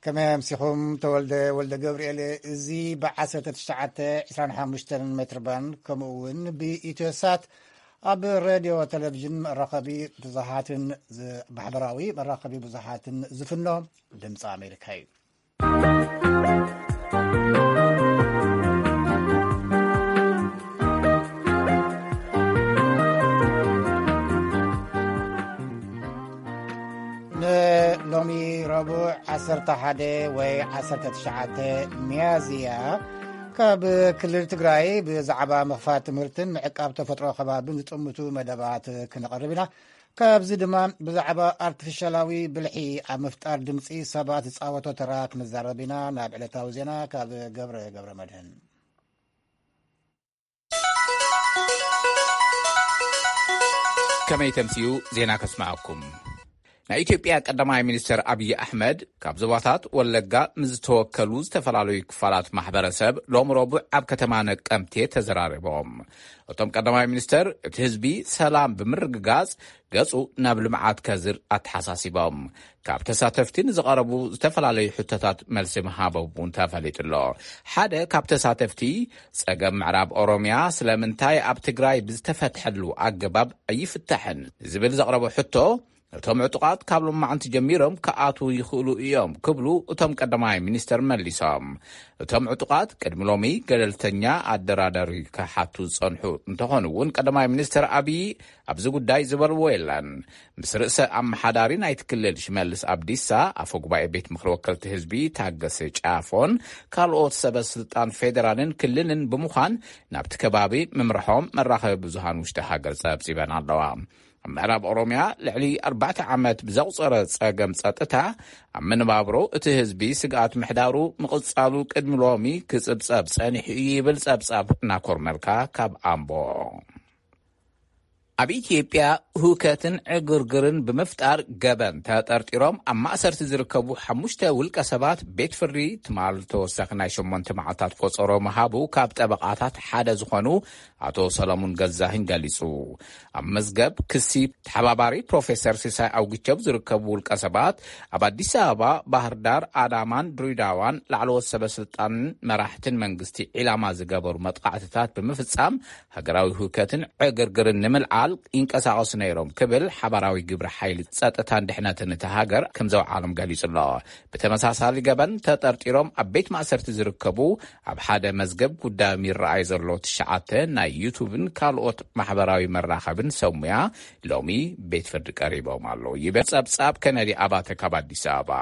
ከመይ ኣምሲኹም? ተወልደ ወልደ ገብርኤል። እዚ ብ1925 ሜትር ባንድ፣ ከምኡ እውን ብኢትዮሳት ኣብ ሬድዮ፣ ቴሌቪዥን፣ መራኸቢ ብዙሃትን ዝ-፣ ማሕበራዊ መራኸቢ ብዙሃትን ዝፍኖ ድምፂ ኣሜሪካ እዩ። ንሎሚ ረቡዕ 11 ወይ 19 ሚያዝያ፣ ካብ ክልል ትግራይ ብዛዕባ ምኽፋት ትምህርትን ምዕቃብ ተፈጥሮ ከባብን ዝጥምቱ መደባት ክነቕርብ ኢና። ካብዚ ድማ ብዛዕባ ኣርቲፊሻላዊ ብልሒ ኣብ ምፍጣር ድምፂ ሰባት ዝፃወቶ ተራ ክንዛረብ ኢና። ናብ ዕለታዊ ዜና ካብ ገብረ ገብረ መድህን። ከመይ ተምስዩ ዜና ከስምዐኩም። ናይ ኢትዮጵያ ቀዳማይ ሚኒስትር ኣብይ ኣሕመድ ካብ ዞባታት ወለጋ ምስ ዝተወከሉ ዝተፈላለዩ ክፋላት ማሕበረሰብ ሎም ረቡዕ ኣብ ከተማ ነቀምቴ ተዘራሪቦም። እቶም ቀዳማይ ሚኒስትር እቲ ህዝቢ ሰላም ብምርግጋጽ ገጹ ናብ ልምዓት ከዝር ኣተሓሳሲቦም። ካብ ተሳተፍቲ ንዝቐረቡ ዝተፈላለዩ ሕቶታት መልሲ ምሃቦም እውን ተፈሊጡ ኣሎ። ሓደ ካብ ተሳተፍቲ ጸገም ምዕራብ ኦሮምያ ስለምንታይ ኣብ ትግራይ ብዝተፈትሐሉ ኣገባብ ኣይፍታሕን ዝብል ዘቕረቦ ሕቶ፣ እቶም ዕጡቓት ካብ ሎማዕንቲ ጀሚሮም ክኣትዉ ይኽእሉ እዮም ክብሉ እቶም ቀዳማይ ሚኒስተር መሊሶም። እቶም ዕጡቓት ቅድሚ ሎሚ ገለልተኛ ኣደራዳሪ ክሓቱ ዝጸንሑ እንተኾኑ እውን፣ ቀዳማይ ሚኒስተር ኣብዪ ኣብዚ ጉዳይ ዝበልዎ የለን። ምስ ርእሰ ኣመሓዳሪ ናይቲ ክልል ሽመልስ ኣብዲሳ፣ ኣፈ ጉባኤ ቤት ምኽሪ ወከልቲ ህዝቢ ታገሰ ጫፎን ካልኦት ሰበ ስልጣን ፌዴራልን ክልልን ብምዃን ናብቲ ከባቢ ምምርሖም መራኸቢ ብዙሃን ውሽጢ ሃገር ጸብጺበን ኣለዋ። ኣብ ምዕራብ ኦሮምያ ልዕሊ ኣርባዕተ ዓመት ብዘቑጸረ ጸገም ጸጥታ፣ ኣብ መነባብሮ እቲ ህዝቢ ስግኣት ምሕዳሩ ምቕጻሉ ቅድሚ ሎሚ ክጽብጸብ ጸኒሑ እዩ ይብል ጸብጻብ ናኮር መልካ ካብ ኣምቦ። ኣብ ኢትዮጵያ ሁከትን ዕግርግርን ብምፍጣር ገበን ተጠርጢሮም ኣብ ማእሰርቲ ዝርከቡ ሓሙሽተ ውልቀ ሰባት ቤት ፍርዲ ትማል ተወሳኺ ናይ ሸሞንተ መዓልታት ቆጸሮ ምሃቡ ካብ ጠበቓታት ሓደ ዝኾኑ ኣቶ ሰለሙን ገዛህኝ ገሊጹ። ኣብ መዝገብ ክሲ ተሓባባሪ ፕሮፌሰር ሲሳይ ኣውግቸው ዝርከቡ ውልቀ ሰባት ኣብ ኣዲስ ኣበባ፣ ባህር ዳር፣ ኣዳማን ድሬዳዋን ላዕለዎት ሰበ ስልጣንን መራሕትን መንግስቲ ዒላማ ዝገበሩ መጥቃዕትታት ብምፍጻም ሃገራዊ ህውከትን ዕግርግርን ንምልዓል ይንቀሳቐሱ ነይሮም ክብል ሓባራዊ ግብረ ሓይሊ ጸጥታን ድሕነትን እቲ ሃገር ከም ዘውዓሎም ገሊጹ ኣሎ። ብተመሳሳሊ ገበን ተጠርጢሮም ኣብ ቤት ማእሰርቲ ዝርከቡ፣ ኣብ ሓደ መዝገብ ጉዳዮም ይረኣይ ዘሎ ትሽዓተ ናይ ዩቱብን ካልኦት ማሕበራዊ መራኸብን ሰብ ሙያ ሎሚ ቤት ፍርዲ ቀሪቦም ኣለዉ ይብል ጸብጻብ ከነዲ ኣባተ ካብ ኣዲስ ኣበባ።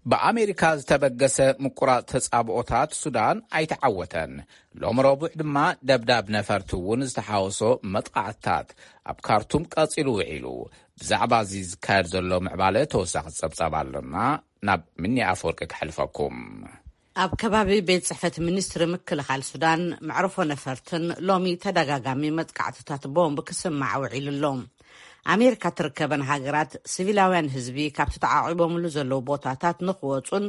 ብኣሜሪካ ዝተበገሰ ምቁራጽ ተጻብኦታት ሱዳን ኣይተዓወተን። ሎም ረቡዕ ድማ ደብዳብ ነፈርቲ እውን ዝተሓወሶ መጥቃዕትታት ኣብ ካርቱም ቀጺሉ ውዒሉ። ብዛዕባ እዚ ዝካየድ ዘሎ ምዕባለ ተወሳኺ ጸብጻብ ኣለና። ናብ ምኒ ኣፈወርቂ ከሕልፈኩም። ኣብ ከባቢ ቤት ጽሕፈት ሚኒስትሪ ምክልኻል ሱዳን፣ መዕርፎ ነፈርትን ሎሚ ተደጋጋሚ መጥቃዕትታት ቦምብ ክስማዕ ውዒሉ ኣሎ። ኣሜሪካ ትርከበን ሃገራት ሲቪላውያን ህዝቢ ካብቲ ተዓቂቦምሉ ዘለዉ ቦታታት ንኽወጹን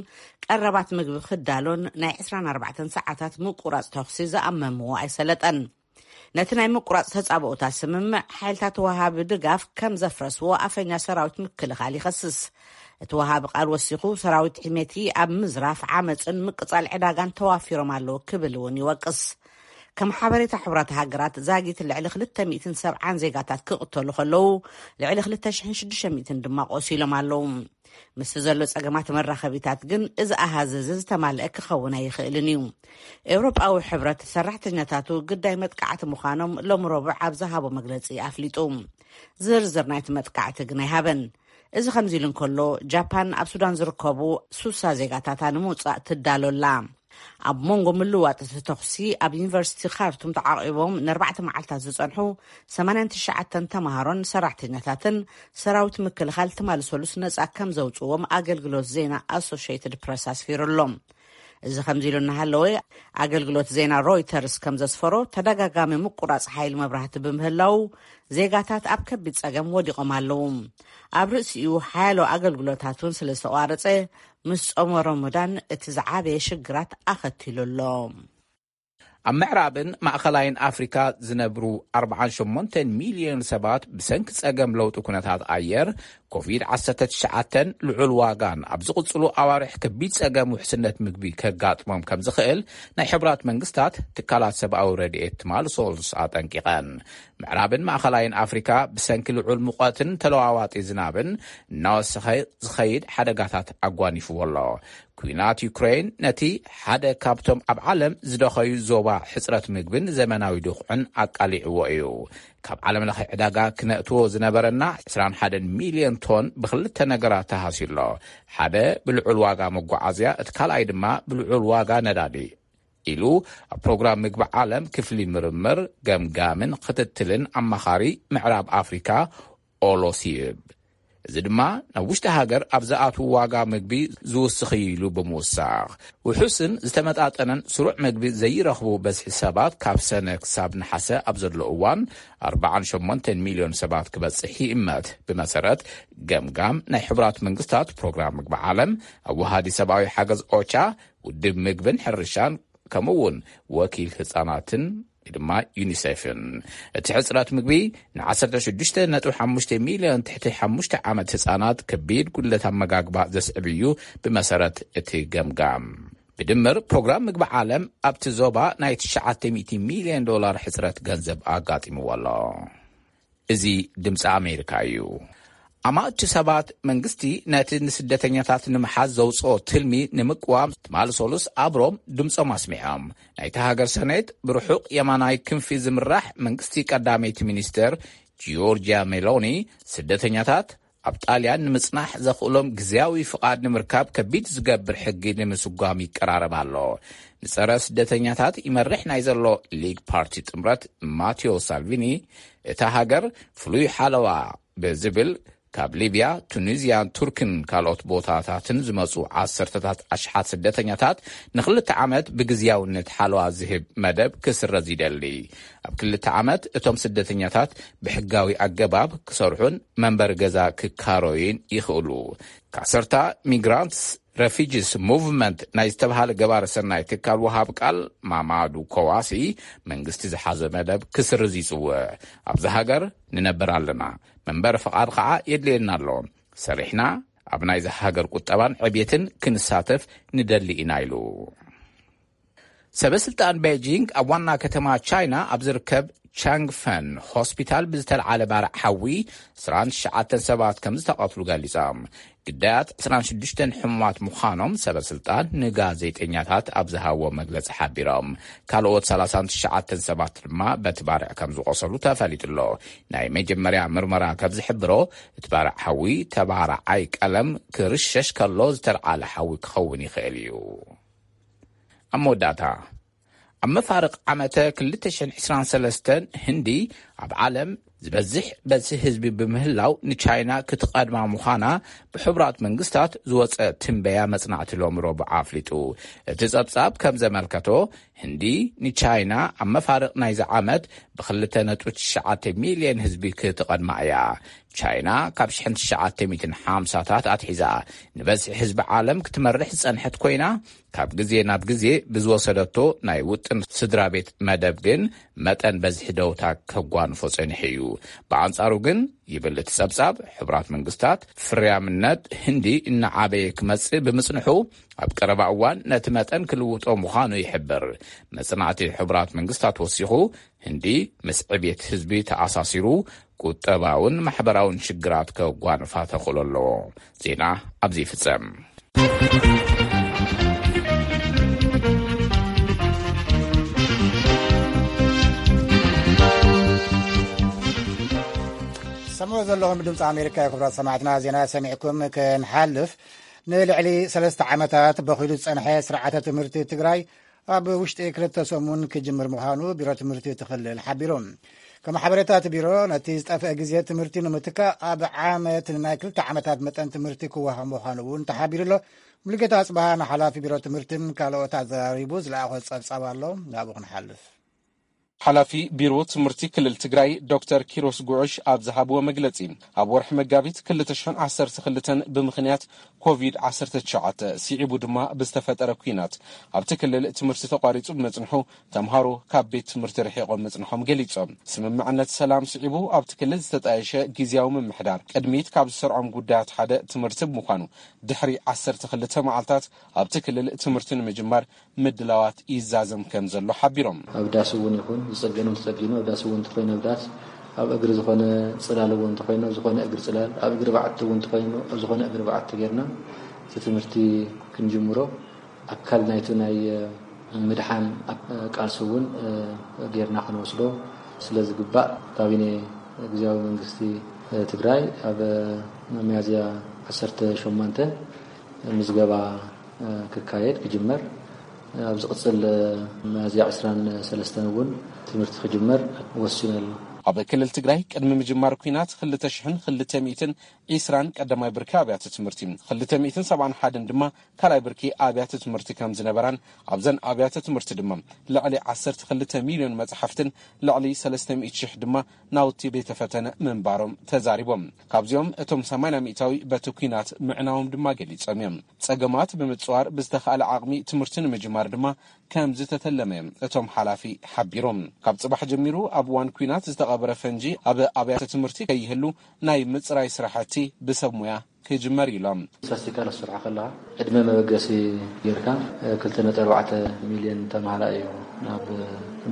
ቀረባት ምግቢ ክዳሎን ናይ 24 ሰዓታት ምቁራጽ ተኹሲ ዝኣመምዎ ኣይሰለጠን። ነቲ ናይ ምቁራጽ ተጻብኦታት ስምምዕ ሓይልታት ወሃቢ ድጋፍ ከም ዘፍረስዎ ኣፈኛ ሰራዊት ምክልኻል ይኸስስ። እቲ ወሃቢ ቃል ወሲኹ፣ ሰራዊት ሒሜቲ ኣብ ምዝራፍ፣ ዓመጽን ምቅጻል ዕዳጋን ተዋፊሮም ኣለዉ ክብል እውን ይወቅስ። ከም ሓበሬታ ሕቡራት ሃገራት፣ ዛጊት ልዕሊ ክልተ ሚእትን ሰብዓን ዜጋታት ክቕተሉ ከለዉ፣ ልዕሊ ክልተ ሽሕን ሽዱሽተ ሚእትን ድማ ቆሲሎም ኣለዉ። ምስቲ ዘሎ ጸገማት መራኸቢታት ግን፣ እዚ ኣሃዝ እዚ ዝተማልአ ክኸውን ኣይኽእልን እዩ። ኤውሮጳዊ ሕብረት ሰራሕተኛታቱ ግዳይ መጥቃዕቲ ምዃኖም ሎም ረቡዕ ኣብ ዝሃቦ መግለጺ ኣፍሊጡ። ዝርዝር ናይቲ መጥቃዕቲ ግን ኣይሃበን። እዚ ከምዚ ኢሉ እንከሎ፣ ጃፓን ኣብ ሱዳን ዝርከቡ ሱሳ ዜጋታታ ንምውጻእ ትዳሎ ኣላ። ኣብ መንጎ ምልዋጥ እቲ ተኹሲ፣ ኣብ ዩኒቨርሲቲ ካርቱም ተዓቂቦም ንኣርባዕተ መዓልታት ዝጸንሑ ሰማንያን ትሽዓተን ተማሃሮን ሰራሕተኛታትን ሰራዊት ምክልኻል ትማሊ ሰሉስ ነጻ ከም ዘውጽዎም ኣገልግሎት ዜና ኣሶሽየትድ ፕረስ ኣስፊሩ ኣሎ። እዚ ከምዚ ኢሉ እናሃለወ፣ ኣገልግሎት ዜና ሮይተርስ ከም ዘስፈሮ፣ ተደጋጋሚ ምቁራጽ ሓይሊ መብራህቲ ብምህላው፣ ዜጋታት ኣብ ከቢድ ጸገም ወዲቖም ኣለዉ። ኣብ ርእሲኡ፣ ሓያሎ ኣገልግሎታት እውን ስለ ዝተቋረጸ፣ ምስ ጾመ ሮሞዳን እቲ ዝዓበየ ሽግራት ኣኸቲሉ ኣሎ። ኣብ ምዕራብን ማእኸላይን ኣፍሪካ ዝነብሩ ኣርባዓን ሸሞንተን ሚልዮን ሰባት ብሰንኪ ጸገም ለውጢ ኩነታት ኣየር ኮቪድ ዓሰርተ ትሽዓተ ልዑል ዋጋን ኣብ ዝቕጽሉ ኣዋርሕ ከቢድ ጸገም ውሕስነት ምግቢ ከጋጥሞም ከም ዝኽእል ናይ ሕቡራት መንግስታት ትካላት ሰብኣዊ ረድኤት ትማሊ ሰሉስ ኣጠንቂቐን። ምዕራብን ማእኸላይን ኣፍሪካ ብሰንኪ ልዑል ሙቐትን ተለዋዋጢ ዝናብን እናወሰኸ ዝኸይድ ሓደጋታት ኣጓኒፍዎ ኣሎ። ኲናት ዩክሬን ነቲ ሓደ ካብቶም ኣብ ዓለም ዝደኸዩ ዞባ ሕጽረት ምግብን ዘመናዊ ድኹዕን ኣቃሊዕዎ እዩ። ካብ ዓለም ለኸ ዕዳጋ ክነእትዎ ዝነበረና ዕስራን ሓደን ሚልዮን ቶን ብኽልተ ነገራት ተሃስዩ ኣሎ። ሓደ ብልዑል ዋጋ መጓዓዝያ፣ እቲ ካልኣይ ድማ ብልዑል ዋጋ ነዳዲ ኢሉ ኣብ ፕሮግራም ምግቢ ዓለም ክፍሊ ምርምር፣ ገምጋምን ክትትልን ኣማኻሪ ምዕራብ ኣፍሪካ ኦሎሲብ። እዚ ድማ ናብ ውሽጢ ሃገር ኣብ ዝኣትዉ ዋጋ ምግቢ ዝውስኽ እዩ ኢሉ ብምውሳኽ፣ ውሑስን ዝተመጣጠነን ስሩዕ ምግቢ ዘይረኽቡ በዝሒ ሰባት ካብ ሰነ ክሳብ ነሓሰ ኣብ ዘሎ እዋን ኣርባዓን ሸሞንተን ሚልዮን ሰባት ክበጽሕ ይእመት። ብመሰረት ገምጋም ናይ ሕቡራት መንግስታት ፕሮግራም ምግቢ ዓለም፣ ኣወሃዲ ሰብኣዊ ሓገዝ ኦቻ፣ ውድብ ምግብን ሕርሻን፣ ከምኡ እውን ወኪል ህጻናትን ድማ ዩኒሴፍን። እቲ ሕጽረት ምግቢ ን ዓሰርተ ሽዱሽተ ነጥቢ ሓሙሽተ ሚልዮን ትሕቲ ሓሙሽተ ዓመት ህጻናት ከቢድ ጉድለት ኣመጋግባ ዘስዕብ እዩ። ብመሰረት እቲ ገምጋም፣ ብድምር ፕሮግራም ምግቢ ዓለም ኣብቲ ዞባ ናይ ትሽዓተ ሚእቲ ሚልዮን ዶላር ሕጽረት ገንዘብ ኣጋጢምዎ ኣሎ። እዚ ድምፂ ኣሜሪካ እዩ። ኣማእቲ ሰባት መንግስቲ ነቲ ንስደተኛታት ንምሓዝ ዘውፅኦ ትልሚ ንምቅዋም ትማሊ ሰሉስ ኣብ ሮም ድምፆም ኣስሚዖም። ናይቲ ሃገር ሰኔት ብርሑቕ የማናይ ክንፊ ዝምራሕ መንግስቲ ቀዳመይቲ ሚኒስትር ጂዮርጂያ ሜሎኒ፣ ስደተኛታት ኣብ ጣልያን ንምጽናሕ ዘኽእሎም ግዝያዊ ፍቓድ ንምርካብ ከቢድ ዝገብር ሕጊ ንምስጓም ይቀራረብ ኣሎ። ንጸረ ስደተኛታት ይመርሕ ናይ ዘሎ ሊግ ፓርቲ ጥምረት ማቴዎ ሳልቪኒ፣ እታ ሃገር ፍሉይ ሓለዋ ብዝብል ካብ ሊብያ፣ ቱኒዝያን ቱርክን ካልኦት ቦታታትን ዝመጹ ዓሰርተታት ኣሽሓት ስደተኛታት ንኽልተ ዓመት ብግዝያውነት ሓለዋ ዝህብ መደብ ክስረዝ ይደሊ። ኣብ ክልተ ዓመት እቶም ስደተኛታት ብሕጋዊ ኣገባብ ክሰርሑን መንበሪ ገዛ ክካረዩን ይኽእሉ። ካሰርታ ሚግራንትስ ረፊጂስ ሙቭመንት ናይ ዝተባሃለ ገባሪ ሰናይ ትካል ወሃብ ቃል ማማዱ ኮዋሲ፣ መንግስቲ ዝሓዘ መደብ ክስርዝ ይጽውዕ። ኣብዚ ሃገር ንነብር ኣለና፣ መንበሪ ፍቓድ ኸዓ የድልየና ኣሎ። ሰሪሕና ኣብ ናይዚ ሃገር ቁጠባን ዕብየትን ክንሳተፍ ንደሊ ኢና ኢሉ። ሰበ ስልጣን ቤጂንግ ኣብ ዋና ከተማ ቻይና ኣብ ዝርከብ ቻንግፈን ሆስፒታል ብዝተልዓለ ባርዕ ሓዊ ዕስራን ትሽዓተን ሰባት ከም ዝተቐትሉ ገሊጾም። ግዳያት ዕስራን ሽዱሽተን ሕሙማት ምዃኖም ሰበ ስልጣን ንጋዜጠኛታት ኣብ ዝሃብዎ መግለጺ ሓቢሮም። ካልኦት ሰላሳን ትሽዓተን ሰባት ድማ በቲ ባርዕ ከም ዝቖሰሉ ተፈሊጡ ኣሎ። ናይ መጀመርያ ምርመራ ከም ዝሕብሮ፣ እቲ ባርዕ ሓዊ ተባራዓይ ቀለም ክርሸሽ ከሎ ዝተልዓለ ሓዊ ክኸውን ይኽእል እዩ። ኣብ መወዳእታ፣ ኣብ መፋርቕ ዓመተ ክልተ ሽሕን ዕስራን ሰለስተን ህንዲ ኣብ ዓለም ዝበዝሕ በዝሒ ህዝቢ ብምህላው ንቻይና ክትቐድማ ምዃና ብሕቡራት መንግስታት ዝወጸ ትንበያ መጽናዕቲ ሎሚ ረቡዕ ኣፍሊጡ። እቲ ጸብጻብ ከም ዘመልከቶ፣ ህንዲ ንቻይና ኣብ መፋርቕ ናይዚ ዓመት ብክልተ ነጥቢ ትሽዓተ ሚልዮን ህዝቢ ክትቐድማ እያ። ቻይና ካብ ሽሕን ትሽዓተ ሚእትን ሓምሳታት ኣትሒዛ ንበዝሒ ህዝቢ ዓለም ክትመርሕ ዝጸንሐት ኮይና፣ ካብ ግዜ ናብ ግዜ ብዝወሰደቶ ናይ ውጥን ስድራ ቤት መደብ ግን መጠን በዝሒ ደውታ ከጓንፎ ጸኒሑ እዩ። ብኣንጻሩ ግን፣ ይብል እቲ ጸብጻብ፣ ሕቡራት መንግስታት ፍርያምነት ህንዲ እናዓበየ ክመጽእ ብምጽንሑ፣ ኣብ ቀረባ እዋን ነቲ መጠን ክልውጦ ምዃኑ ይሕብር። መጽናዕቲ ሕቡራት መንግስታት ወሲኹ፣ ህንዲ ምስ ዕብየት ህዝቢ ተኣሳሲሩ ቁጠባውን ማሕበራውን ሽግራት ከጓንፋ ተኽእሎ ኣለዎ። ዜና ኣብዚ ይፍጸም። ሰምዑ ዘለኹም ድምፂ ኣሜሪካ እዩ። ክቡራት ሰማዕትና፣ ዜና ሰሚዕኩም ክንሓልፍ፣ ንልዕሊ ሰለስተ ዓመታት በኺሉ ዝጸንሐ ስርዓተ ትምህርቲ ትግራይ ኣብ ውሽጢ ክልተ ሰሙን ክጅምር ምዃኑ ቢሮ ትምህርቲ እቲ ክልል ሓቢሩ። ከም ሓበሬታ እቲ ቢሮ፣ ነቲ ዝጠፍአ ግዜ ትምህርቲ ንምትካእ ኣብ ዓመት ንናይ ክልተ ዓመታት መጠን ትምህርቲ ክወሃብ ምዃኑ እውን ተሓቢሩ ኣሎ። ሙሉጌታ ኣጽብሃ ንሓላፊ ቢሮ ትምህርትን ካልኦት ኣዘራሪቡ ዝለኣኾ ጸብጻብ ኣሎ፣ ናብኡ ክንሓልፍ። ሓላፊ ቢሮ ትምህርቲ ክልል ትግራይ ዶክተር ኪሮስ ጉዑሽ ኣብ ዝሃብዎ መግለጺ፣ ኣብ ወርሒ መጋቢት ክልተ ሽሕን ዓሰርተ ክልተን ብምኽንያት ኮቪድ ዓሰርተ ትሽዓተ ስዒቡ ድማ ብዝተፈጠረ ኲናት ኣብቲ ክልል ትምህርቲ ተቋሪጹ ብመጽንሑ፣ ተምሃሮ ካብ ቤት ትምህርቲ ርሒቖም ምጽንሖም ገሊጾም። ስምምዕነት ሰላም ስዒቡ ኣብቲ ክልል ዝተጣየሸ ግዝያዊ ምምሕዳር ቅድሚት ካብ ዝሰርዖም ጉዳያት ሓደ ትምህርቲ ብምዃኑ፣ ድሕሪ ዓሰርተ ክልተ መዓልታት ኣብቲ ክልል ትምህርቲ ንምጅማር ምድላዋት ይዛዘም ከም ዘሎ ሓቢሮም። ኣብ ዳስ እውን ይኹን ዝጸገን እውን ተጸጊኑ፣ ኣብ ዳስ እውን እንተኾይኑ ኣብ ዳስ፣ ኣብ እግሪ ዝኾነ ጽላል እውን እንተኾይኑ ኣብ ዝኾነ እግሪ ጽላል፣ ኣብ እግሪ በዓቲ እውን እንተኾይኑ ኣብ ዝኾነ እግሪ በዓቲ ጌርና እቲ ትምህርቲ ክንጅምሮ፣ ኣካል ናይቲ ናይ፣ እ፣ ምድሓን፣ እ፣ ቃልሲ እውን፣ እ፣ ጌርና ክንወስዶ ስለ ዝግባእ፣ ካቢኔ ግዝያዊ መንግስቲ፣ እ፣ ትግራይ ኣብ፣ እ፣ ሚያዝያ ዓሰርተ ሸሞንተ ምዝገባ፣ እ፣ ክካየድ ክጅመር፣ ኣብ ዝቕጽል፣ እ፣ ሚያዝያ ዕስራን ሰለስተን እውን ትምህርቲ ክጅመር ወሲኑ ኣሎ። ኣብ ክልል ትግራይ ቅድሚ ምጅማር ኲናት ክልተ ሽሕን ክልተ ሚእትን ዕስራን ቀዳማይ ብርኪ ኣብያተ ትምህርቲ፣ ክልተ ሚእትን ሰብዓን ሓደን ድማ ካልኣይ ብርኪ ኣብያተ ትምህርቲ ከም ዝነበራን፣ ኣብዘን ኣብያተ ትምህርቲ ድማ ልዕሊ ዓሰርተ ክልተ ሚልዮን መጽሓፍትን ልዕሊ ሰለስተ ሚእቲ ሽሕ ድማ ናውቲ ቤተ ፈተነ ምንባሮም ተዛሪቦም። ካብዚኦም እቶም ሰማንያ ሚእታዊ በቲ ኲናት ምዕናዎም ድማ ገሊጾም እዮም። ጸገማት ብምጽዋር ብዝተኻእለ ዓቕሚ ትምህርቲ ንምጅማር ድማ ከም ዝተተለመ እዮም እቶም ሓላፊ ሓቢሮም። ካብ ጽባሕ ጀሚሩ ኣብ እዋን ኲናት ዝተቐበረ ፈንጂ ኣብ ኣብያተ ትምህርቲ ከይህሉ ናይ ምጽራይ ስራሕቲ ብሰብ ሞያ ክጅመር ኢሎም። ስታስቲካ ክትሰርሖ ከለኻ ዕድመ መበገሲ ጌርካ፣ እ፣ ክልተ ነጥቢ ኣርባዕተ ሚልዮን ተምሃራይ እዩ ናብ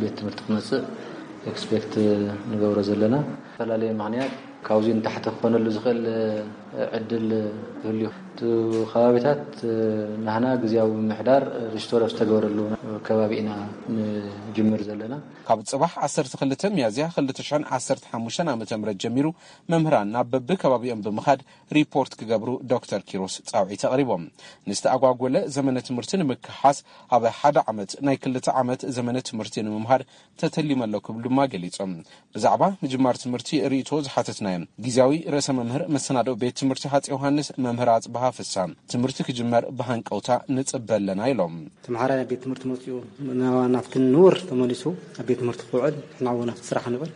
ቤት ትምህርቲ ክመጽእ ኤክስፔክት ንገብሮ ዘለና። ዝተፈላለየ ምኽንያት ካብዚ ንታሕቲ ክኾነሉ ዝኽእል፣ እ፣ ዕድል ክህሉ እዩ። እቲ ከባቢታት፣ እ፣ ናህና ግዝያዊ ምምሕዳር ሪስቶር ኣብ ዝተገበረሉ ከባቢ ኢና ንጅምር ዘለና። ካብ ጽባሕ ዓሰርተ ክልተ ሚያዝያ ክልተ ሽሕን ዓሰርተ ሓሙሽተን ዓመተ ምህረት ጀሚሩ መምህራን ናብ በብከባቢኦም ብምኻድ ሪፖርት ክገብሩ ዶክተር ኪሮስ ጻውዒት ኣቕሪቦም። ንዝተኣጓጎለ ዘመነ ትምህርቲ ንምክሓስ ኣብ ሓደ ዓመት ናይ ክልተ ዓመት ዘመነ ትምህርቲ ንምምሃር ተተሊመ ኣሎ ክብሉ ድማ ገሊጾም። ብዛዕባ ምጅማር ትምህርቲ ርእይቶ ዝሓተትናዮም ግዝያዊ ርእሰ መምህር መሰናድኦ ቤት ትምህርቲ ሃጽ ዮሃንስ መምህር ኣጽብሃ ፍሳ፣ ትምህርቲ ክጅመር ብሃንቀውታ ንጽበ ኣለና ኢሎም። ተምሃራይ ኣብ ቤት ትምህርቲ መጺኡ ናብቲ ንቡር ተመሊሱ ኣብ ቤት ትምህርቲ ክውዕል፣ ንሕና እውን ኣብቲ ስራሕ ንብል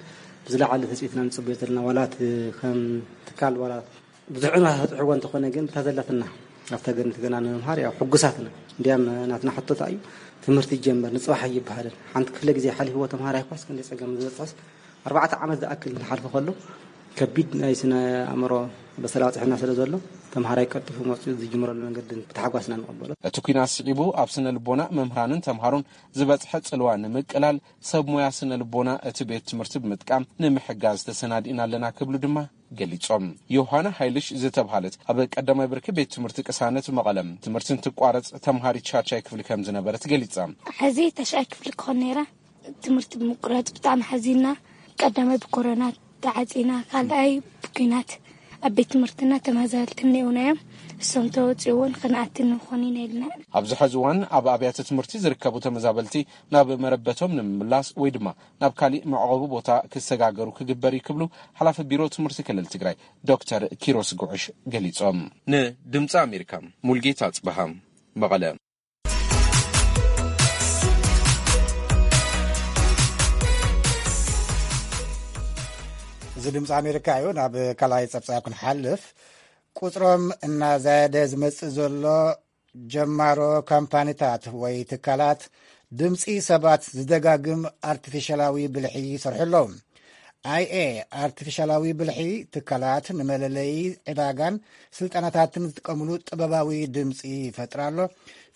ብዝለዓለ ትጽቢትና ንጽበዮ ዘለና። ዋላ እቲ ከም ትካል ዋላ ብዙሕ ዕንዋ ተጥሕዎ እንተኾነ ግን ብታ ዘለትና ኣብታ ገርኒት ገና ንምምሃር ያው ሕጉሳት ኢና። እንዲያም ናትና ሕቶታ እዩ ትምህርቲ ይጀመር ንጽባሕ ኣይበሃልን። ሓንቲ ክፍለ ግዜ ሓሊፍዎ ተምሃራይ ኳስ ክንደይ ጸገም ዝበጽሖስ ኣርባዕተ ዓመት ዝኣክል ንሓልፎ ከሎ ከቢድ ናይ ስነ ኣእምሮ በሰላ በጽሕና ስለ ዘሎ ተምሃራይ ቀልጢፉ መጽኡ ዝጅምረሉ መንገዲ ብታሕጓስ ኢና ንቐበሎ። እቲ ኲናት ስዒቡ ኣብ ስነ ልቦና መምህራንን ተምሃሮን ዝበጽሐ ጽልዋ ንምቅላል ሰብ ሞያ ስነ ልቦና እቲ ቤት ትምህርቲ ብምጥቃም ንምሕጋዝ ተሰናዲእና ኣለና ክብሉ ድማ ገሊጾም። ዮሃና ሃይልሽ ዝተብሃለት ኣብ ቀዳማይ ብርኪ ቤት ትምህርቲ ቅሳነት መቐለ ትምህርቲ እንትቋረጽ ተምሃሪት ሻድሻይ ክፍሊ ከም ዝነበረት ገሊጻ። ሕዚ ተሽዓይ ክፍሊ ክኾን ነይራ። ትምህርቲ ብምቁራጽ ብጣዕሚ ሓዚና። ቀዳማይ ብኮሮና ተዓጺና፣ ካልኣይ ብኲናት ኣብ ቤት ትምህርትና ተመዛበልቲ እኒኦና እዮም። እሶም ተወፂኡ እውን ክንኣቲ ንኾን ኢና ኢልና። ኣብዚ ሕዚ እዋን ኣብ ኣብያተ ትምህርቲ ዝርከቡ ተመዛበልቲ ናብ መረበቶም ንምምላስ ወይ ድማ ናብ ካሊእ መዕቆቢ ቦታ ክሰጋገሩ ክግበር እዩ ክብሉ ሓላፊ ቢሮ ትምህርቲ ክልል ትግራይ ዶክተር ኪሮስ ጉዕሽ ገሊጾም። ንድምፂ ኣሜሪካ ሙልጌታ ጽበሃ መቐለ። እዚ ድምፂ ኣሜሪካ እዩ። ናብ ካልኣይ ፀብፃብ ክንሓልፍ፣ ቁፅሮም እናዛየደ ዝመፅእ ዘሎ ጀማሮ ካምፓኒታት ወይ ትካላት ድምፂ ሰባት ዝደጋግም ኣርቲፊሻላዊ ብልሒ ይሰርሑ ኣለዉ። ኣይኤ ኣርቲፊሻላዊ ብልሒ ትካላት ንመለለዪ ዕዳጋን ስልጠናታትን ዝጥቀምሉ ጥበባዊ ድምፂ ይፈጥር ኣሎ።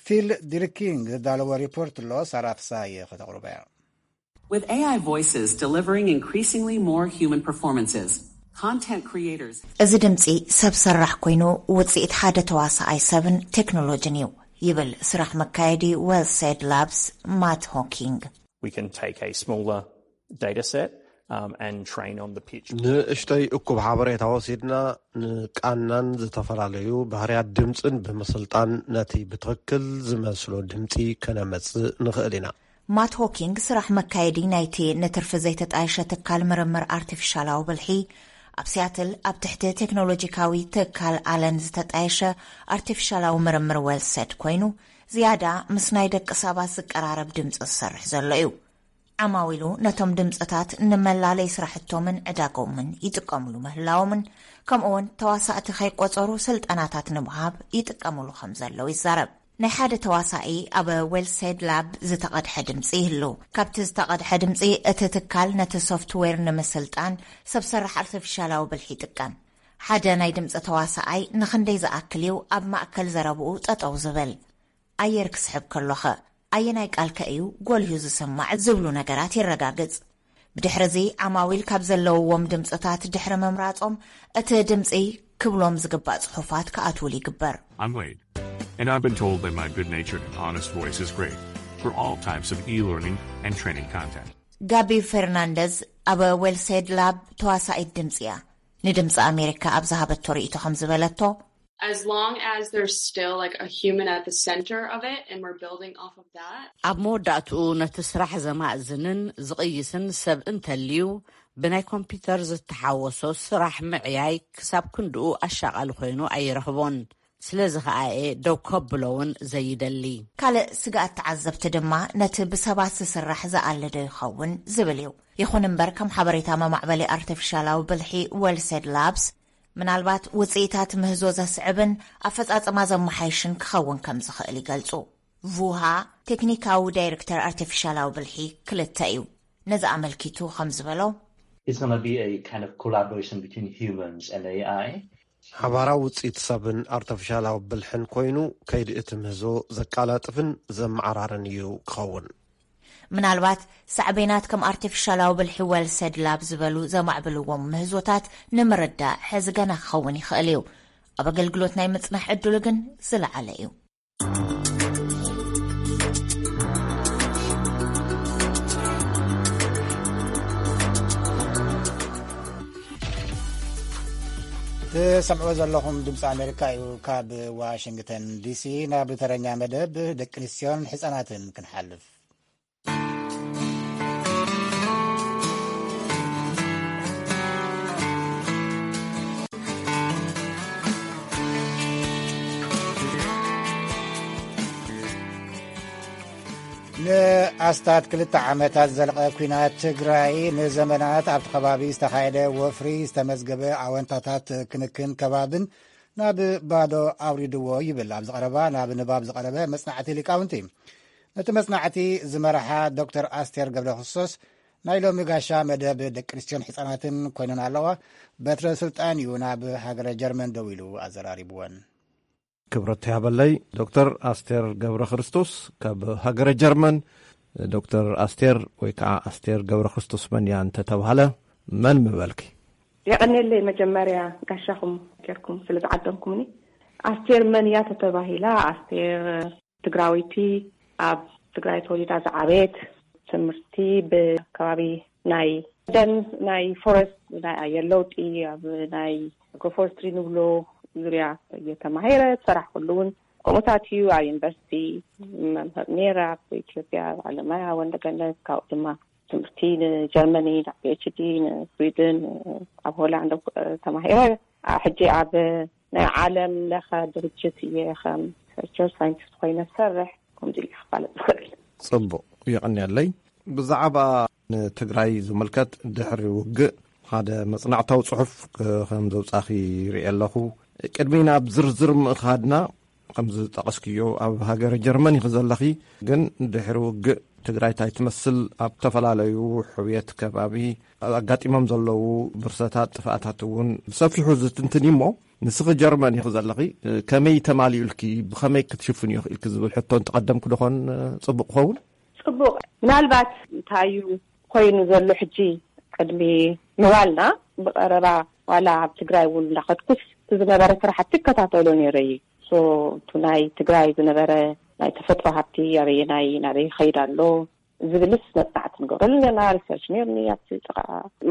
ፊል ዲርኪንግ ዘዳለዎ ሪፖርት ኣሎ፣ ሳራ ፍሳየ ከተቕርቦ እያ። With A I voices delivering increasingly more human performances, content creators እዚ ድምጺ ሰብ ሰራሕ ኮይኑ ውጽኢት ሓደ ተዋሳኣይ ሰብን ቴክኖሎጅን እዩ ይብል ስራሕ መካየዲ Well Said Labs ማት ሆኪንግ። We can take a smaller data set um, and train on the pitch. ንእሽተይ እኩብ ሓበሬታ ወሲድና ንቃናን ዝተፈላለዩ ባህርያት ድምፅን ብምስልጣን ነቲ ብትኽክል ዝመስሎ ድምፂ ከነመፅእ ንኽእል ኢና። ማት ሆኪንግ ስራሕ መካየዲ ናይቲ ንትርፊ ዘይተጣየሸ ትካል ምርምር ኣርቲፊሻላዊ ብልሒ ኣብ ሲያትል ኣብ ትሕቲ ቴክኖሎጂካዊ ትካል ኣለን ዝተጣየሸ ኣርቲፊሻላዊ ምርምር ወልሰድ ኮይኑ ዝያዳ ምስ ናይ ደቂ ሰባት ዝቀራረብ ድምፂ ዝሰርሕ ዘሎ እዩ። ዓማዊሉ ነቶም ድምፅታት ንመላለይ ስራሕቶምን ዕዳጎምን ይጥቀምሉ ምህላዎምን፣ ከምኡውን ተዋሳእቲ ከይቆፀሩ ስልጠናታት ንምሃብ ይጥቀምሉ ከም ዘለዉ ይዛረብ። ናይ ሓደ ተዋሳኢ ኣብ ዌልሴድ ላብ ዝተቐድሐ ድምፂ ይህሉ። ካብቲ ዝተቐድሐ ድምፂ እቲ ትካል ነቲ ሶፍትዌር ንምስልጣን ሰብ ሰራሕ ኣርቲፊሻላዊ ብልሒ ይጥቀም። ሓደ ናይ ድምፂ ተዋሳኣይ ንኽንደይ ዝኣክል እዩ ኣብ ማእከል ዘረብኡ ጠጠው ዝብል? ኣየር ክስሕብ ከሎኸ ኣየናይ ቃልከ እዩ ጎልሁ ዝስማዕ ዝብሉ ነገራት የረጋግጽ። ብድሕርዚ ዓማዊል ካብ ዘለውዎም ድምፅታት ድሕሪ ምምራጾም እቲ ድምፂ ክብሎም ዝግባእ ጽሑፋት ክኣትውሉ ይግበር። I'm Wade, and I've been told that my good natured and honest voice is great for all types of e learning and training content. ጋቢ ፈርናንደዝ ኣብ ዌልሴድ ላብ ተዋሳኢት ድምፂ እያ። ንድምፂ ኣሜሪካ ኣብ ዝሃበቶ ርእይቶ ከም ዝበለቶ፣ as long as there's still like a human at the center of it and we're building off of that. ኣብ መወዳእትኡ ነቲ ስራሕ ዘማእዝንን ዝቕይስን ሰብ እንተልዩ፣ ብናይ ኮምፒውተር ዝተሓወሶ ስራሕ ምዕያይ ክሳብ ክንድኡ ኣሻቓሊ ኮይኑ ኣይረኽቦን። ስለዚ ኸኣ እየ ደው ከብሎ እውን ዘይደሊ። ካልእ ስግኣት ተዓዘብቲ ድማ ነቲ ብሰባት ዝስራሕ ዝኣለዶ ይኸውን ዝብል እዩ። ይኹን እምበር ከም ሓበሬታ መማዕበሊ ኣርቲፊሻላዊ ብልሒ ዌልሴድ ላብስ ምናልባት ውፅኢታት ምህዞ ዘስዕብን ኣፈፃፅማ ዘመሓይሽን ክኸውን ከም ዝኽእል ይገልፁ። ቩሃ ቴክኒካዊ ዳይሬክተር ኣርቲፊሻላዊ ብልሒ ክልተ እዩ። ነዚ ኣመልኪቱ ከም ዝበሎ፣ It's going to be a kind of collaboration between humans and A I. ሓባራዊ ውፅኢት ሰብን ኣርቲፊሻላዊ ብልሕን ኮይኑ ከይዲ እቲ ምህዞ ዘቃላጥፍን ዘመዓራርን እዩ ክኸውን። ምናልባት ሳዕቤናት ከም ኣርቲፊሻላዊ ብልሒ ወልሰድ ላብ ዝበሉ ዘማዕብልዎም ምህዞታት ንምርዳእ ሕዚ ገና ክኸውን ይኽእል እዩ። ኣብ ኣገልግሎት ናይ ምጽናሕ ዕድሉ ግን ዝለዓለ እዩ። ትሰምዕዎ ዘለኹም ድምፂ ኣሜሪካ እዩ። ካብ ዋሽንግተን ዲሲ ናብ ተረኛ መደብ ደቂ ኣንስትዮን ሕፃናትን ክንሓልፍ። ንኣስታት ክልተ ዓመታት ዝዘለቐ ኲናት ትግራይ ንዘመናት ኣብቲ ከባቢ ዝተኻየደ ወፍሪ ዝተመዝገበ ኣወንታታት ክንክን ከባብን ናብ ባዶ ኣውሪድዎ ይብል ኣብ ዝቐረባ ናብ ንባብ ዝቐረበ መጽናዕቲ ሊቃውንቲ። ነቲ መጽናዕቲ ዝመርሓ ዶክተር ኣስቴር ገብረ ክርስቶስ ናይ ሎሚ ጋሻ መደብ ደቂ ኣንስትዮን ሕፃናትን ኮይነን ኣለዋ። በትረ ስልጣን እዩ ናብ ሃገረ ጀርመን ደው ኢሉ ኣዘራሪብወን። ክብረት ያበለይ ዶክተር ኣስቴር ገብረ ክርስቶስ ካብ ሃገረ ጀርመን። ዶክተር ኣስቴር ወይ ከዓ ኣስቴር ገብረ ክርስቶስ መን እያ እንተተባህለ መን ምበልኪ? የቐኔለይ መጀመርያ ጋሻኹም ጌርኩም ስለ ዝዓደምኩምኒ። ኣስቴር መን እያ ተተባሂላ፣ ኣስቴር ትግራወይቲ፣ ኣብ ትግራይ ተወሊዳ ዝዓበየት፣ ትምህርቲ ብከባቢ ናይ ደን፣ ናይ ፎረስት፣ ናይ ኣየር ለውጢ፣ ኣብ ናይ ኣግሮፎረስትሪ ንብሎ ዙርያ እየ ተማሂረ። ዝሰራሕኩሉ እውን ከምኡታት እዩ። ኣብ ዩኒቨርሲቲ መምህር ነይረ፣ ኣብ ኢትዮጵያ፣ ኣብ ኣለማያ፣ ወንደገነት፣ ካብኡ ድማ ትምህርቲ ንጀርመኒ፣ ናብ ፒ ኤች ዲ፣ ንስዊድን፣ ኣብ ሆላንድ ተማሂረ። ሕጂ ኣብ ናይ ዓለም ለኸ ድርጅት እየ ከም ሪሰርች ሳይንቲስት ኮይነ ዝሰርሕ። ከምዚ ኢለ ክፋለጥ ዝኽእል። ጽቡቕ፣ የቐንየለይ። ብዛዕባ ንትግራይ ዝምልከት ድሕሪ ውግእ ሓደ መጽናዕታዊ ጽሑፍ ከም ዘውጻኺ ይርኢ ኣለኹ። ቅድሚ ናብ ዝርዝር ምእኻድና፣ ከም ዝጠቐስክዮ ኣብ ሃገረ ጀርመን ኢኺ ዘለኺ፣ ግን ድሕሪ ውግእ ትግራይ እንታይ ትመስል፣ ኣብ ዝተፈላለዩ ሕውየት ከባቢ ኣጋጢሞም ዘለዉ ብርሰታት፣ ጥፍኣታት እውን ብሰፊሑ ዝትንትን እዩ። እሞ ንስኺ ጀርመን ኢኺ ዘለኺ፣ ከመይ ተማሊኡልኪ፣ ብኸመይ ክትሽፍንዮ ክኢልኪ ዝብል ሕቶ እንተቐደምኩ ዶኾን ጽቡቕ ክኸውን? ጽቡቕ። ምናልባት እንታይ እዩ ኮይኑ ዘሎ ሕጂ ቅድሚ ምባልና፣ ብቐረባ ዋላ ኣብ ትግራይ እውን እንዳኸድኩስ እቲ ዝነበረ ስራሕቲ እከታተሎ ነይረ እዩ። ሶ፣ እቲ ናይ ትግራይ ዝነበረ ናይ ተፈጥሮ ሃብቲ ኣበየናይ፣ ናበይ ይኸይድ ኣሎ ዝብልስ መጽናዕቲ ንገብረሉ ነርና፣ ሪሰርች ነርኒ ኣብቲ ጥቓ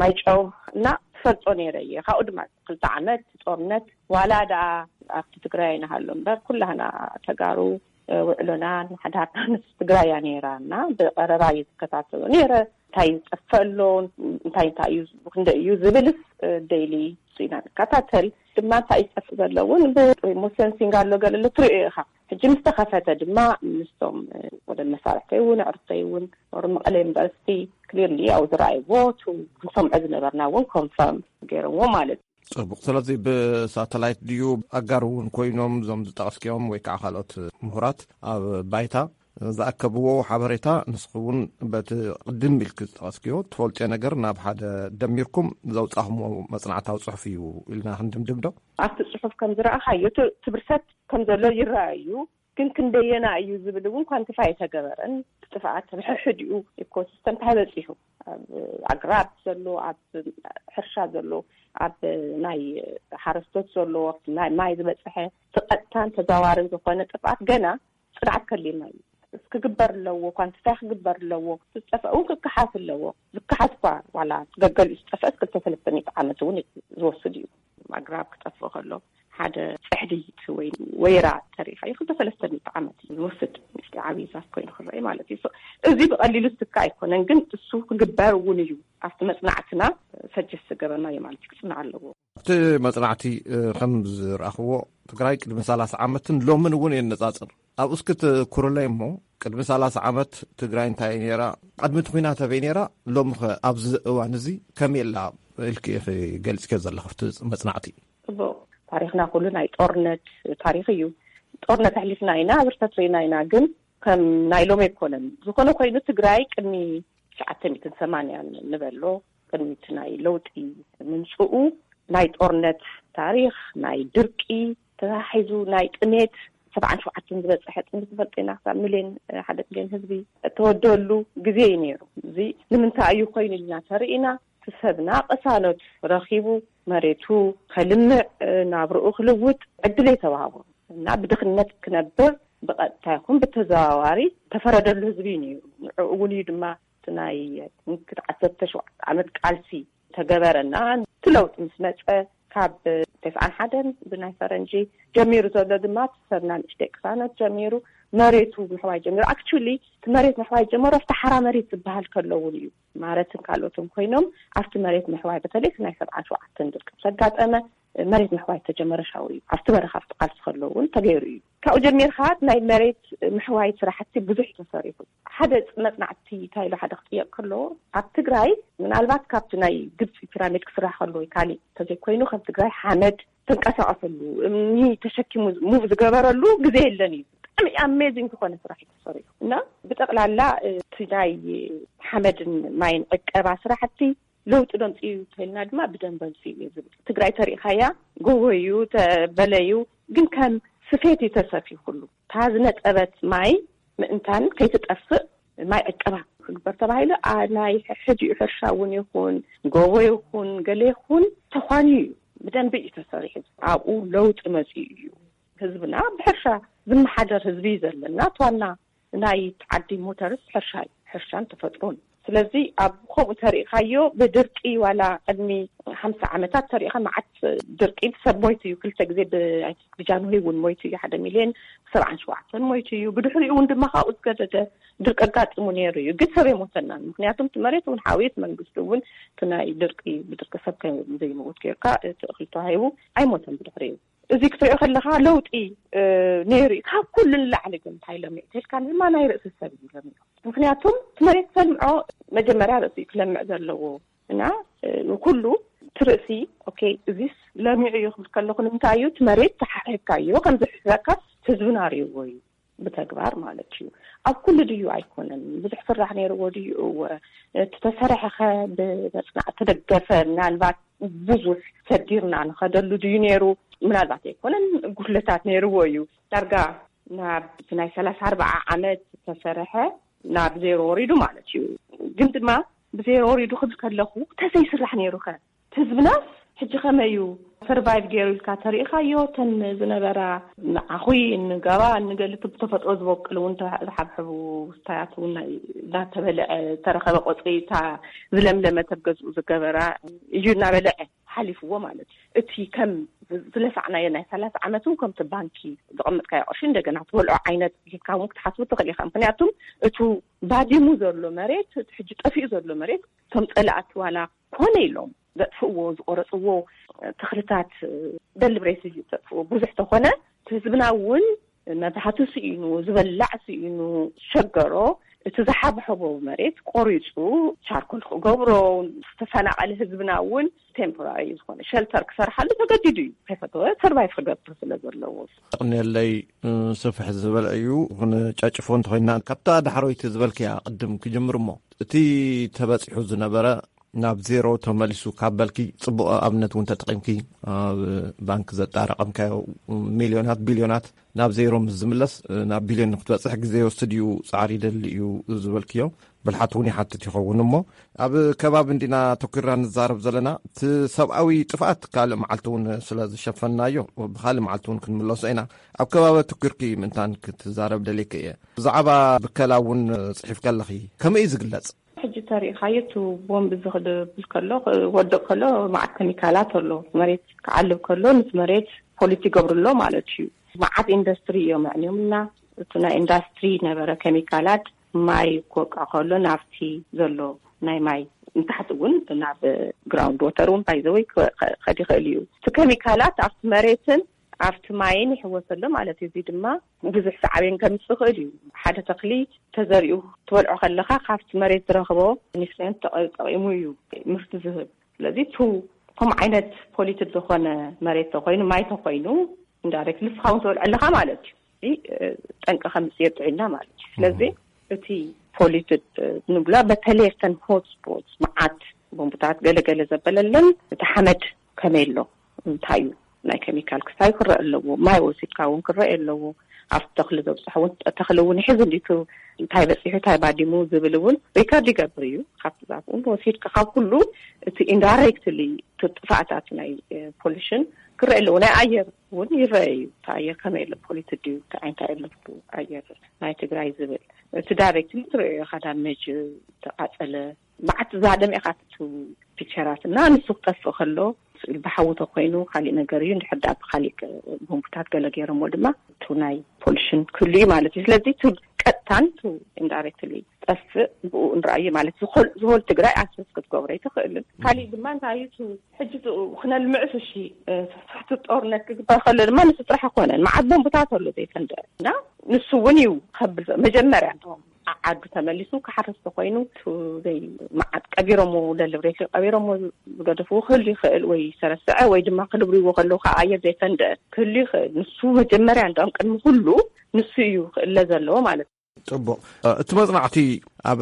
ማይጨው እና ትፈልጦ ነይረ እየ። ካብኡ ድማ ክልተ ዓመት ጦርነት ዋላ ደኣ ኣብቲ ትግራይ ንሃሎ እምበር፣ ኩላህና ተጋሩ፣ እ፣ ውዕሎናን ሓዳርናን ትግራይ እያ ነይራ እና ብቐረባ እየ ዝከታተሎ ነይረ። እንታይ ይጠፍእ ኣሎ፣ እንታይ እንታይ እዩ፣ ክንደይ እዩ ዝብልስ፣ እ፣ ዴይሊ እሱ ኢና ንከታተል። ድማ እንታይ ይጠፍእ ዘሎ እውን ብሪሞት ሴንሲንግ ኣሎ፣ ገለ ኣሎ ትሪኦ ኢኻ። ሕጂ ምስ ተኸፈተ ድማ ምስቶም፣ እ፣ ወደ መሳርሕተይ እውን ኣዕሩኽተይ እውን ወሩ መቐለ ዩኒቨርሲቲ ክሊርሊ ያው ዝረኣይዎ፣ ቱ ንሰምዖ ዝነበርና እውን ኮንፈርም ገይረዎ ማለት እዩ። ጽቡቕ። ስለዚ ብሳተላይት ድዩ፣ ኣጋር እውን ኮይኖም እዞም ዝጠቐስክዮም ወይ ከዓ ካልኦት ምሁራት ኣብ ባይታ ዝኣከብዎ ሓበሬታ፣ ንስኺ እውን በቲ ቅድም ኢልኪ ዝጠቐስክዮ ትፈልጥዮ ነገር ናብ ሓደ ደሚርኩም ዘውጻኹምዎ መጽናዕታዊ ጽሑፍ እዩ ኢልና ክንድምድም ዶ? ኣብቲ ጽሑፍ ከም ዝረኣኻዮ፣ እቲ ብርሰት ከም ዘሎ ይረኣዩ፣ ግን ክንደየና እዩ ዝብል እውን ኳንቲፋይ ኣይተገበረን። እቲ ጥፍኣት፣ ሕድሕዲኡ ኢኮሲስተም እንታይ በጺሑ፣ ኣብ ኣግራብ ዘሎ፣ ኣብ ሕርሻ ዘሎ፣ ኣብ ናይ ሓረስቶት ዘሎ፣ ናይ ማይ ዝበጽሐ፣ እቲ ቀጥታን ተዛዋርን ዝኾነ ጥፍኣት ገና ጽንዓት ከድልየና እዩ። ክግበር ኣለዎ፣ ኳንቲፋይ ክግበር ኣለዎ። ዝጠፍአ እውን ክከሓስ ኣለዎ። ዝከሓስ እኳ ዋላ ገገሊኡ ዝጠፍአስ ክልተ ሰለስተ ሚእቲ ዓመት እውን ዝወስድ እዩ። ኣግራብ ክጠፍእ ከሎ፣ ሓደ ጽሕዲ ወይ ወይራ ተሪኻ እዩ ክልተ ሰለስተ ሚእቲ ዓመት እዩ ዝወስድ፣ ምስቲ ዓብዪ ዛፍ ኮይኑ ክረአ ማለት እዩ። So፣ እዚ ብቐሊሉ ዝትካ ኣይኮነን፣ ግን እሱ ክግበር እውን እዩ። ኣብቲ መጽናዕትና ሰጀስት ዝገበርናዮ ማለት እዩ፣ ክጽናዕ ኣለዎ። ኣብቲ መጽናዕቲ፣ እ፣ ከም ዝረኣኽዎ፣ ትግራይ ቅድሚ ሰላሳ ዓመትን ሎምን እውን የነጻጽር። ኣብኡ እስኪ ትኩርለይ እሞ፣ ቅድሚ ሰላሳ ዓመት ትግራይ እንታይ ነይራ? ቅድሚ እቲ ኲናት ኣበይ ነይራ? ሎምኸ ኣብዚ እዋን እዚ ከመይ ኣላ ኢልኪ ኢኺ ገሊጽክዮ ዘለኺ ኣብቲ መጽናዕቲ? ጽቡቕ። ታሪኽና ኩሉ ናይ ጦርነት ታሪኽ እዩ። ጦርነት ኣሕሊፍና ኢና፣ ብርሰት ርኢና ኢና፣ ግን ከም ናይ ሎሚ ኣይኮነን። ዝኾነ ኮይኑ፣ ትግራይ ቅድሚ ትሽዓተ ሚእትን ሰማንያን ንበሎ፣ ቅድሚ እቲ ናይ ለውጢ ምምጽኡ፣ ናይ ጦርነት ታሪኽ፣ ናይ ድርቂ ተታሒዙ፣ ናይ ጥሜት፣ ሰብዓን ሸውዓተን ዝበጽሐ ጥሜት ንፈልጦ ኢና፣ ክሳብ ሚልዮን፣ ሓደ ሚልዮን ህዝቢ እተወደሉ ግዜ እዩ ነይሩ። እዚ ንምንታይ እዩ ኮይኑ ኢልና ተርኢና፣ እቲ ሰብና ቅሳነት ረኺቡ፣ መሬቱ ከልምዕ፣ ናብርኡ ክልውጥ ዕድል ኣይተዋህቦ እና ብድኽነት ክነብር ብቐጥታ ይኹን ብተዘዋዋሪ ተፈረደሉ ህዝቢ እዩ ነይሩ። ንዕኡ እውን እዩ ድማ እቲ ናይ ትንክት ዓሰርተ ሸውዓተ ዓመት ቃልሲ ተገበረና። እቲ ለውጢ ምስ መጸ፣ ካብ ተስዓን ሓደን ብናይ ፈረንጂ ጀሚሩ ዘሎ ድማ፣ እቲ ሰብና ንእሽተይ ቅሳነት ጀሚሩ፣ መሬቱ ምሕዋይ ጀሚሩ። ኣክቹሊ፣ እቲ መሬት ምሕዋይ ጀመሮ ኣብቲ ሓራ መሬት ዝበሃል ከሎ እውን እዩ። ማረትን ካልኦትን ኮይኖም ኣብቲ መሬት ምሕዋይ፣ በተለይ እቲ ናይ ሰብዓን ሸውዓተን ድርቂ ምስ ኣጋጠመ፣ መሬት ምሕዋይ ተጀመረ ሻው እዩ። ኣብቲ በረኻ ኣብቲ ቃልሲ ከሎ እውን ተገይሩ እዩ። ካብኡ ጀሚርካ ናይ መሬት ምሕዋይ ስራሕቲ ብዙሕ እዩ ተሰሪሑ። ሓደ መጽናዕቲ እንታይ ኢሉ ሓደ ክጥየቅ ከሎ፣ ኣብ ትግራይ ምናልባት ካብቲ ናይ ግብፂ ፒራሚድ ክስራሕ ከሎ ወይ ካሊእ እንተዘይኮይኑ፣ ከም ትግራይ ሓመድ ተንቀሳቀሰሉ፣ እምኒ ተሸኪሙ ሙቭ ዝገበረሉ ግዜ የለን እዩ። ብጣዕሚ ኣሜዚንግ ዝኾነ ስራሕ እዩ ተሰሪሑ እና ብጠቅላላ፣ እ፣ እቲ ናይ ሓመድን ማይን ዕቀባ ስራሕቲ ለውጢ ደምፂኡ እዩ ተልና ድማ ብደንብ ኣምፂኡ እዩ ዝብል። ትግራይ ተሪእኻያ፣ ጎቦ እዩ፣ ተበለ እዩ፣ ግን ከም ስፌት እዩ ተሰፊዩ ኩሉ። እታ ዝነጠበት ማይ ምእንታን ከይትጠፍእ ማይ ዕቀባ ክግበር ተባሂሉ፣ ኣ፣ ናይ ሕድኡ ሕርሻ እውን ይኹን፣ ጎቦ ይኹን፣ ገለ ይኹን ተኳንዩ እዩ። ብደንቢ እዩ ተሰሪሑ። ኣብኡ ለውጢ መፂኡ እዩ። ህዝብና ብሕርሻ ዝመሓደር ህዝቢ እዩ ዘለና። እቲ ዋና ናይ ዓዲ ሞተርስ ሕርሻ እዩ፣ ሕርሻን ተፈጥሮን። ስለዚ ኣብ ከምኡ ተሪእኻዮ፣ ብድርቂ ዋላ ቅድሚ ሓምሳ ዓመታት ተሪእኻ፣ መዓት ድርቂ፣ ሰብ ሞይቱ እዩ። ክልተ ግዜ ብ-፣ ብጃንሆይ እውን ሞይቱ እዩ፣ ሓደ ሚልዮን ሰብዓን ሸውዓተን ሞይቱ እዩ። ብድሕሪኡ እውን ድማ ካብኡ ዝገደደ ድርቂ ኣጋጢሙ ነይሩ እዩ፣ ግን ሰብ ኣይሞተናን። ምክንያቱም እቲ መሬት እውን ሓውዩ፣ እቲ መንግስቲ እውን እቲ ናይ ድርቂ፣ ብድርቂ ሰብ ከም ዘይመውት ጌርካ እቲ እኽሊ ተዋሂቡ ኣይሞተን ብድሕሪኡ። እዚ ክትሪኦ ከለኻ ለውጢ፣ እ፣ ነይሩ እዩ። ካብ ኩሉ ንላዕሊ ግን እንታይ ለሚዑ ተልካ ድማ ናይ ርእሲ ሰብ እዩ ለሚዑ። ምክንያቱም እቲ መሬት ተልምዖ መጀመርያ ርእሲ እዩ ክለምዕ ዘለዎ እና፣ እ፣ ንኩሉ እቲ ርእሲ፣ ኦኬ፣ እዚስ ለሚዑ እዩ ክብል ከለኹ ንምንታይ እዩ? እቲ መሬት ተሓሒብካዮ፣ ከም ዝሕሕበካ ህዝብና ርእይዎ እዩ ብተግባር ማለት እዩ። ኣብ ኩሉ ድዩ ኣይኮነን? ብዙሕ ስራሕ ነይርዎ ድዩ? እወ። እቲ ተሰርሐኸ ብመጽናዕቲ ተደገፈ? ምናልባት ብዙሕ ሰዲርና ንኸደሉ ድዩ ነይሩ? ምናልባት ኣይኮነን፣ ጉድለታት ነይርዎ እዩ። ዳርጋ ናብ ናይ ሰላሳ ኣርባዓ ዓመት ዝተሰርሐ ናብ ዜሮ ወሪዱ ማለት እዩ። ግን ድማ ብዜሮ ወሪዱ ክብል ከለኹ፣ ተዘይስራሕ ነይሩኸ? ህዝብናስ ሕጂ ከመይ እዩ ሰርቫይቭ ገይሩ ኢልካ ተሪኢኻዮ? እተን ዝነበራ ንዓኹይ፣ እንገባ፣ እንገሊ፣ እቲ ብተፈጥሮ ዝበቁል እውን፣ ዝሓብሕቡ ስታያት እውን ናይ-፣ እናተበልዐ፣ ዝተረኸበ ቆጽሊ፣ እታ ዝለምለመት ኣብ ገዝኡ ዝገበራ እዩ እናበልዐ ሓሊፍዎ ማለት እዩ። እቲ ከም ዝለፋዕናዮ ናይ ሰላሳ ዓመት እውን ከምቲ ባንኪ ዘቐመጥካዮ ቅርሺ እንደገና ትበልዖ ዓይነት ጌርካ እውን ክትሓስቡ ትኽእል ኢኻ። ምክንያቱም እቱ ባዲሙ ዘሎ መሬት፣ እቲ ሕጂ ጠፊኡ ዘሎ መሬት፣ እቶም ጸላእቲ ዋላ ኮነ ኢሎም ዘጥፍእዎ፣ ዝቆረጽዎ ተኽልታት ደሊብሬትሊ ዘጥፍእዎ ብዙሕ ተኾነ፣ ህዝብና እውን መብራህቲ ስኢኑ፣ ዝበላዕ ስኢኑ፣ ዝሸገሮ፣ እቲ ዝሓብሐቦ መሬት ቆሪፁ ቻርኮል ክገብሮ፣ ዝተፈናቐለ ህዝብና እውን ቴምፖራሪ ዝኾነ ሸልተር ክሰርሓሉ ተገዲዱ እዩ። ከይፈተወ ሰርቫይቭ ክገብር ስለ ዘለዎ። ኣቕንየለይ። ስፍሕ ዝበለ እዩ። ንጨጭፎ እንተኮይና ካብታ ዳሕሮይቲ ዝበልክያ ቅድም ክጅምር እሞ፣ እቲ ተበፂሑ ዝነበረ ናብ ዜሮ ተመሊሱ ካብ በልኪ፣ ፅቡቕ ኣብነት እውን ተጠቒምኪ፣ ኣብ ባንክ ዘጣረቐምካዮ ሚልዮናት ቢልዮናት ናብ ዜሮ ምስ ዝምለስ፣ ናብ ቢልዮን ንክትበፅሕ ግዜ ይወስድ እዩ፣ ፃዕሪ ይደሊ እዩ ዝበልክዮ ብልሓት እውን ይሓትት ይኸውን። እሞ ኣብ ከባቢ እንዲና ተኩርና ንዛረብ ዘለና፣ እቲ ሰብኣዊ ጥፍኣት ካልእ መዓልቲ እውን ስለ ዝሸፈንናዮ ብካልእ መዓልቲ እውን ክንምለሶ ኢና። ኣብ ከባቢ ተኩርኪ ምእንታን ክትዛረብ ደልየኪ እየ። ብዛዕባ ብከላ እውን ፅሒፍኪ ኣለኺ፣ ከመይ እዩ ዝግለፅ? ሕጂ ተሪኢኻዮ፣ እቲ ቦምብ ዝኽድብል ከሎ፣ ክወድቕ ከሎ፣ መዓት ኬሚካላት ኣሎ። መሬት ክዓልብ ከሎ፣ ምስ መሬት ፖሊት ይገብሩ ኣሎ ማለት እዩ። መዓት ኢንዱስትሪ እዮም ኣዕንዮም እና፣ እቲ ናይ ኢንዱስትሪ ነበረ ኬሚካላት፣ ማይ ክወቅዕ ከሎ፣ ናብቲ ዘሎ ናይ ማይ ንታሕቲ እውን ናብ ግራውንድ ወተር እውን ባይዘወይ ከዲ ይኽእል እዩ። እቲ ኬሚካላት ኣብቲ መሬትን ኣብቲ ማይን ይሕወሰ ኣሎ ማለት እዩ። እዚ ድማ ብዙሕ ሳዕቤን ከምፅእ ይኽእል እዩ። ሓደ ተኽሊ ተዘሪኡ ትበልዖ ከለኻ፣ ካብቲ መሬት ዝረኽቦ ኒትሪየንት ተጠ-፣ ተጠቒሙ እዩ ምህርቲ ዝህብ። ስለዚ፣ ቱ-፣ ከምኡ ዓይነት ፖሊትድ ዝኾነ መሬት ተኾይኑ፣ ማይ ተኾይኑ፣ ኢንዳይሬክት ንስኻ እውን ትበልዖ ኣለኻ ማለት እዩ። እዚ፣ እ፣ ጠንቂ ከምፅእ የጥዕና ማለት እዩ። ስለዚ፣ እቲ ፖሊትድ፣ እ፣ ንብላ፣ በተለይ እተን ሆት ስፖትስ፣ መዓት ቦምብታት ገለገለ ዘበለለን፣ እቲ ሓመድ ከመይ ኣሎ፣ እንታይ እዩ፣ ናይ ኬሚካል ክስታይ ክረአ ኣለዎ። ማይ ወሲድካ እውን ክረአ ኣለዎ። ኣብቲ ተኽሊ ዘብፅሖ እውን፣ ተኽሊ እውን ይሕዝ እንዲቱ፣ እንታይ በፂሑ፣ እንታይ ባዲሙ ዝብል እውን ሪከርድ ይገብር እዩ። ካብቲ ዛፍ እውን ወሲድካ፣ ካብ ኩሉ እቲ ኢንዳይሬክትሊ እቲ ጥፋእታት ናይ፣ እ፣ ፖሉሽን ክረአ ኣለዎ። ናይ ኣየር እውን ይረአ እዩ። እቲ ኣየር ከመይ ኣሎ፣ ፖሊትድ ድዩ፣ እንታይ እንታይ ኣሎ ኣየር ናይ ትግራይ ዝብል፣ እቲ ዳይሬክትሊ ትረአ ኢኻ። ዳሜጅ፣ ተቃፀለ፣ መዓት ዛደም ኢኻ እቲ ፒክቸራት እና ንሱ ክጠፍእ ከሎ፣ ስእሊ ብሓዊ ተኮይኑ ካሊእ ነገር እዩ። እንድሕር ደኣ ብካሊእ ቦምብታት ገለ ገይሮሞ ድማ፣ እቱ ናይ ፖሉሽን ክህሉ እዩ ማለት እዩ። ስለዚ፣ እቱ ቀጥታን እቱ ኢንዳይሬክትሊ ጠፍእ ብኡ ንርኣዩ ማለት፣ ዝኾል-፣ ዝኾል ትግራይ ኣክሰስ ክትገብሮ ኣይትኽእልን። ካሊእ ድማ እንታይ እዩ፣ እቱ ሕጂ እቱ ክነልምዕስ፣ እሺ፣ እ፣ ስራሕቲ ጦርነት ክግበር ከሎ ድማ ንሱ ጥራሕ ኣይኮነን። መዓት ቦምብታት ኣሎ ዘይፈንደ እና ንሱ እውን እዩ ከብል መጀመርያ፣ እንቶም ዓዱ ተመሊሱ ክሓርስ ተኮይኑ፣ እቱ ዘይ መዓት ቀቢሮሞ፣ ደሊብሬትሊ ቀቢሮሞ ዝገደፍዎ ክህሉ ይኽእል፣ ወይ ሰረስዐ፣ ወይ ድማ ክድብርዎ ከለዉ ካብ ኣየር ዘይፈንደ ክህሉ ይኽእል። ንሱ መጀመርያ፣ እንዲያውም ቅድሚ ኩሉ ንሱ እዩ ክእለ ዘለዎ ማለት እዩ። ጽቡቕ። እቲ መጽናዕቲ ኣብ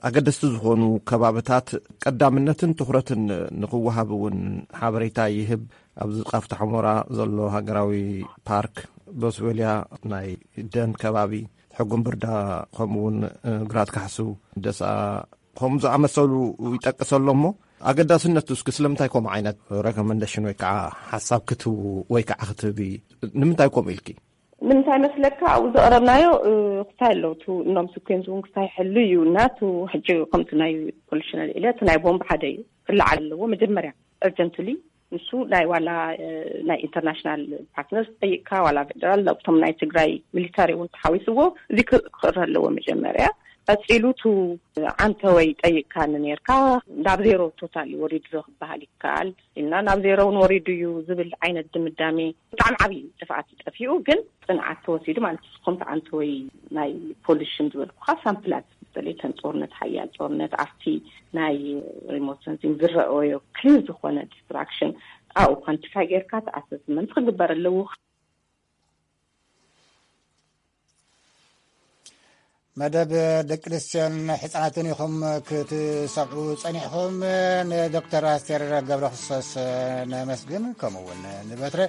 ኣገደስቲ ዝኾኑ ከባብታት ቀዳምነትን ትኹረትን ንኽወሃብ እውን ሓበሬታ ይህብ። ኣብዚ ቃፍታ ሑመራ ዘሎ ሃገራዊ ፓርክ፣ በስዌልያ ናይ ደን ከባቢ፣ ሕጉም ብርዳ፣ ከምኡ እውን ግራት ካሕሱ፣ ደስኣ፣ ከምኡ ዝኣመሰሉ ይጠቅስ ኣሎ። እሞ ኣገዳስነቱ እስኪ ስለምንታይ ከምኡ ዓይነት ረኮመንዴሽን ወይ ከዓ ሓሳብ ክትህቡ ወይ ከዓ ክትህቢ፣ ንምንታይ ከምኡ ኢልኪ? ንምንታይ መስለካ ኣብኡ ዘቕረብናዮ፣ እ፣ ክስታይ ኣለዉ። እቱ እኖም ስኩዌንስ እውን ክስታይ ይሕሉ እዩ። እና እቱ ሕጂ ከምቲ ናይ ፖሉሽን ኣልዒለ፣ እቲ ናይ ቦምብ ሓደ እዩ ክለዓል ኣለዎ መጀመርያ፣ እርጀንትሊ። ንሱ ናይ ዋላ፣ እ፣ ናይ ኢንተርናሽናል ፓርትነርስ ጠይቅካ፣ ዋላ ፌደራል፣ እቶም ናይ ትግራይ ሚሊታሪ እውን ተሓዊስዎ፣ እዚ ክ-፣ ክቕረ ኣለዎ መጀመርያ። ቀፂሉ እቱ ዓንተወይ ጠይቅካኒ ነርካ፣ ናብ ዜሮ ቶታሊ ወሪዱ ዶ ክበሃል ይከኣል ኢልና፣ ናብ ዜሮ እውን ወሪዱ እዩ ዝብል ዓይነት ድምዳሜ፣ ብጣዕሚ ዓብዪ ጥፍኣት እዩ ጠፊኡ። ግን ፅንዓት ተወሲዱ ማለት እዩ። ከምቲ ዓንተወይ ናይ ፖሉሽን ዝበልኩኻ ሳምፕላት፣ በተለይ ከም ጦርነት፣ ሓያል ጦርነት፣ ኣብቲ ናይ ሪሞት ሰንሲንግ ዝረኣዮ ክሊር ዝኾነ ዲስትራክሽን፣ ኣብኡ ኳንቲፋይ ጌርካ እቲ ኣሰስመንት ክግበር ኣለዎ። መደብ ደቂ ኣንስትዮን ሕፃናትን ኢኹም ክትሰምዑ ጸኒሕኹም። ንዶክተር ኣስቴር ገብረክርስቶስ ነመስግን፣ ከምኡ እውን ንበትረ።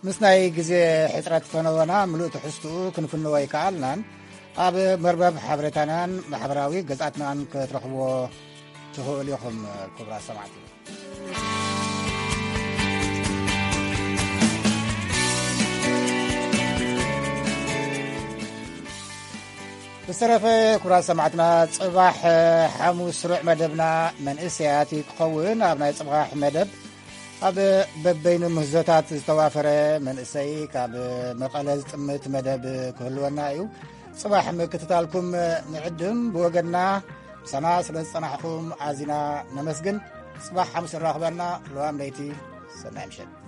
ምስ ናይ ግዜ ሕጽረት ፈነወና ምሉእ ትሕዝትኡ ክንፍንዎ ኣይከኣልናን። ኣብ መርበብ ሓበሬታናን ማሕበራዊ ገጻትናን ክትረኽብዎ ትኽእሉ ኢኹም። ክቡራት ሰማዕቲ፣ ብዝተረፈ፣ ክቡራት ሰማዕትና፣ ጽባሕ ሓሙስ ስሩዕ መደብና መንእሰያት እዩ ክኸውን። ኣብ ናይ ጽባሕ መደብ፣ ኣብ በበይኑ ምህዞታት ዝተዋፈረ መንእሰይ ካብ መቐለ ዝጥምት መደብ ክህልወና እዩ። ጽባሕ ምክትታልኩም ንዕድም። ብወገንና፣ ምሳና ስለ ዝጸናሕኩም ኣዚና ነመስግን። ጽባሕ ሓሙስ ንራኽበና። ለዋም ለይቲ፣ ሰናይ ምሸት።